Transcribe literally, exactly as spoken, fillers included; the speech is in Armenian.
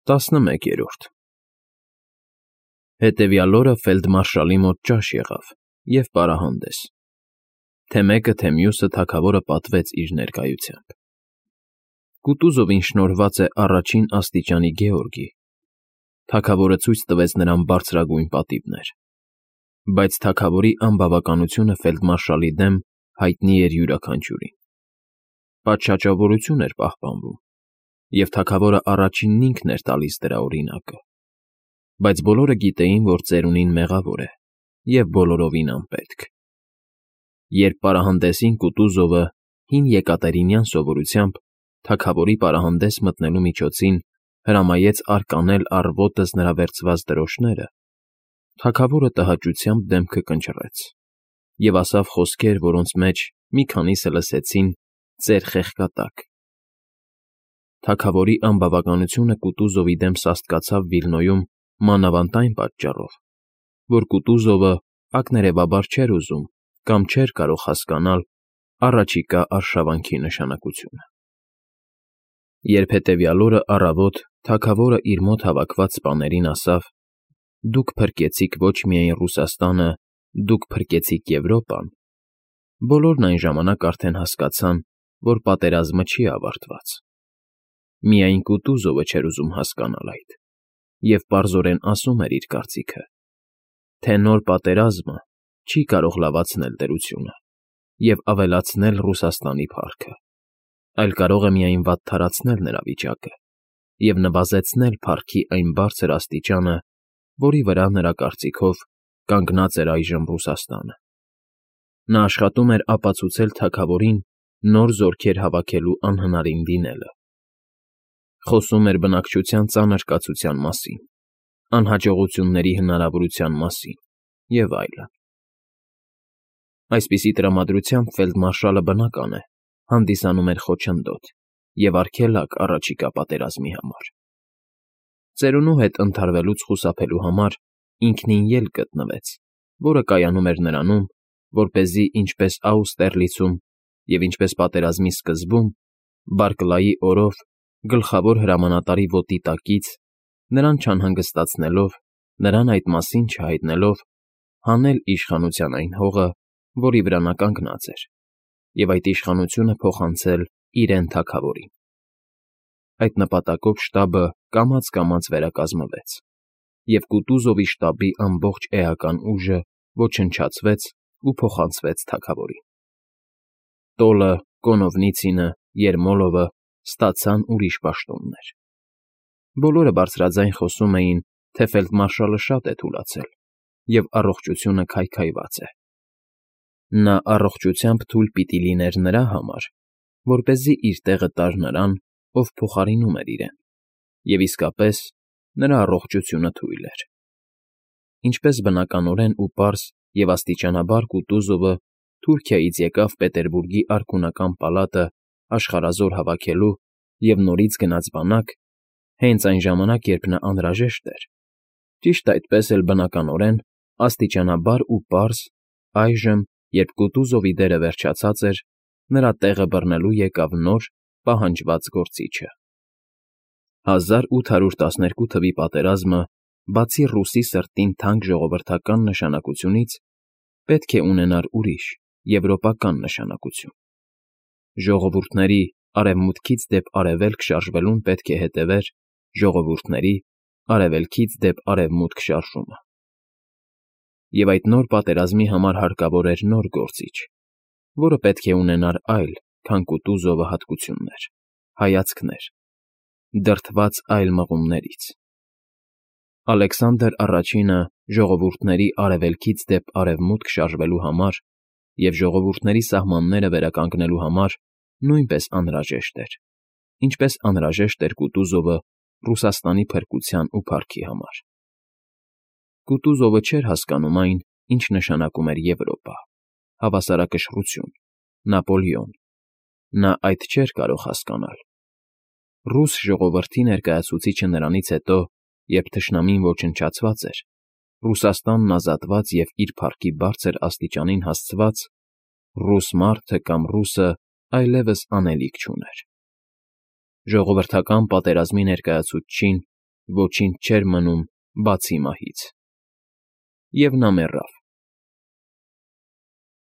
Տասնմեկերորդ Հետևյալ օրը ֆելդմարշալի մոտ ճաշ եղավ և պարահանդես, թե մեկը, թե մյուսը թագավորը պատվեց իր ներկայությամբ. Կուտուզովին շնորհված է առաջին աստիճանի գեորգի, թագավորը ցույց տվեց նրան բարձրագույն պատիվներ, բայց թագավորի անբավականությունը ֆելդմարշալի դեմ հայտնի էր յուրաքանչյուրին. պատշաճավորություն էր պահպանվում, և թագավորը առաջինն ինքն էր տալիս դրա օրինակը, բայց բոլորը գիտեին, որ ծերունին մեղավոր է և բոլորովին անպետք. Երբ պարահանդեսին Կուտուզովը հին եկատերինյան սովորությամբ թագավորի պարահանդես մտնելու միջոցին հրամայեց արկանել առ ոտս նրա վերցված դրոշները, թագավորը տհաճությամբ դեմքը կնճռեց և ասավ խոսքեր, որոնց մեջ մի քանիսը լսեցին ծեր խեղկատակ. Թագավորի անբավականությունը Կուտուզովի դեմ սաստկացավ Վիլնոյում մանավանդ այն պատճառով, որ Կուտուզովը ակներևաբար չէր ուզում կամ չէր կարող հասկանալ առաջիկա արշավանքի նշանակությունը։ Երբ հետևյալ օրը առավոտ թագավորը իր մոտ հավաքված սպաներին ասավ. «Դուք փրկեցիք ոչ միայն Ռուսաստանը, դուք փրկեցիք Եվրոպան», բոլորն այն ժամանակ արդեն հասկացան, որ պատերազմը չի ավարտված։ Միայն Կուտուզովը չէր ուզում հասկանալ այդ և պարզորեն ասում էր իր կարծիքը, թե նոր պատերազմը չի կարող լավացնել դրությունը և ավելացնել Ռուսաստանի փառքը, այլ կարող է միայն վատթարացնել նրա վիճակը և նվազեցնել փառքի այն բարձր աստիճանը, որի վրա, նրա կարծիքով, կանգնած էր այժմ Ռուսաստանը։ Նա աշխատում էր ապացուցել թագավորին նոր զորքեր հավաքելու անհնարին լինելը։ Խոսում էր բնակչության ծանր կացության մասին, անհաջողությունների հնարավորության մասին և այլն։ Այսպիսի տրամադրությամբ ֆելդմարշալը, բնական է, հանդիսանում էր խոչընդոտ և արգելակ առաջիկա պատերազմի համար։ Ծերունու հետ ընդհարվելուց խուսափելու համար ինքնին ելք գտնվեց, որը կայանում էր նրանում, որպեսզի ինչպես Աուստերլիցում և ինչպես պատերազմի սկզբում, Բարկլայի օրով, գլխավոր հրամանատարի ոտի տակից, նրան չանհանգստացնելով, նրան այդ մասին չհայտնելով, հանել իշխանության այն հողը, որի վրա նա կանգնած էր, և այդ իշխանությունը փոխանցել իրեն թագավորին։ Այդ նպատակով շտաբը կամաց֊կամաց վերակազմվեց, և Կուտուզովի շտաբի ամբողջ էական ուժը ոչնչացվեց ու փոխանցվեց թագավորին։ Տոլը, Կոնովնիցինը, Երմոլովը ստացան ուրիշ պաշտոններ։ Բոլորը բարձրաձայն խոսում էին, թե ֆելդմարշալը շատ է թուլացել և առողջությունը քայքայված է։ Նա առողջությամբ թույլ պիտի լիներ նրա համար, որպեսզի իր տեղը տար նրան, ով փոխարինում էր իրեն, և իսկապես, նրա առողջությունը թույլ էր։ Ինչպես բնականորեն ու պարզ և աստիճանաբար Կուտուզովը Թուրքիայից եկավ Պետերբուրգի արքունական պալատը աշխարհազոր հավաքելու և նորից գնաց բանակ, հենց այն ժամանակ, երբ նա անհրաժեշտ էր, ճիշտ այդպես էլ, բնականորեն, աստիճանաբար ու պարզ, այժմ, երբ Կուտուզովի դերը վերջացած էր, նրա տեղը բռնելու եկավ նոր, պահանջված գործիչը։ Հազար ութ հարյուր տասներկու թվականի պատերազմը, բացի ռուսի սրտին թանկ ժողովրդական նշանակությունից, պետք է ունենար ուրիշ, եվրոպական նշանակություն։ Ժողովուրդների արևմուտքից դեպ արևելք շարժվելուն պետք է հետևեր ժողովուրդների արևելքից դեպ արևմուտք շարժումը։ Եվ այդ նոր պատերազմի համար հարկավոր էր նոր գործիչ, որը պետք է ունենար այլ, քան Կուտուզովը հատկություններ, հայացքներ, դրդված այլ մղումներից։ Ալեքսանդր Առաջինը ժողովուրդների արևելքից դեպ արևմուտք շարժվելու համար և ժողովուրդների սահմանները վերականգնելու համար նույնպես անհրաժեշտ էր, ինչպես անհրաժեշտ էր Կուտուզովը Ռուսաստանի փրկության ու փառքի համար։ Կուտուզովը չէր հասկանում այն, ինչ նշանակում էր Եվրոպա, հավասարակշռություն, Նապոլեոն։ Նա այդ չէր կարող հասկանալ։ Ռուս ժողովրդի ներկայացուցիչը նրանից հետո, երբ թշնամին ոչնչացված էր, Ռուսաստանն ազատված և իր փառքի բարձր աստիճանին հասցված, ռուս մարդը կամ ռուսը այլևս անելիք չուներ։ Ժողովրդական պատերազմի ներկայացուցչին ոչինչ չէր մնում, բացի մահից։ Եվ նա մեռավ։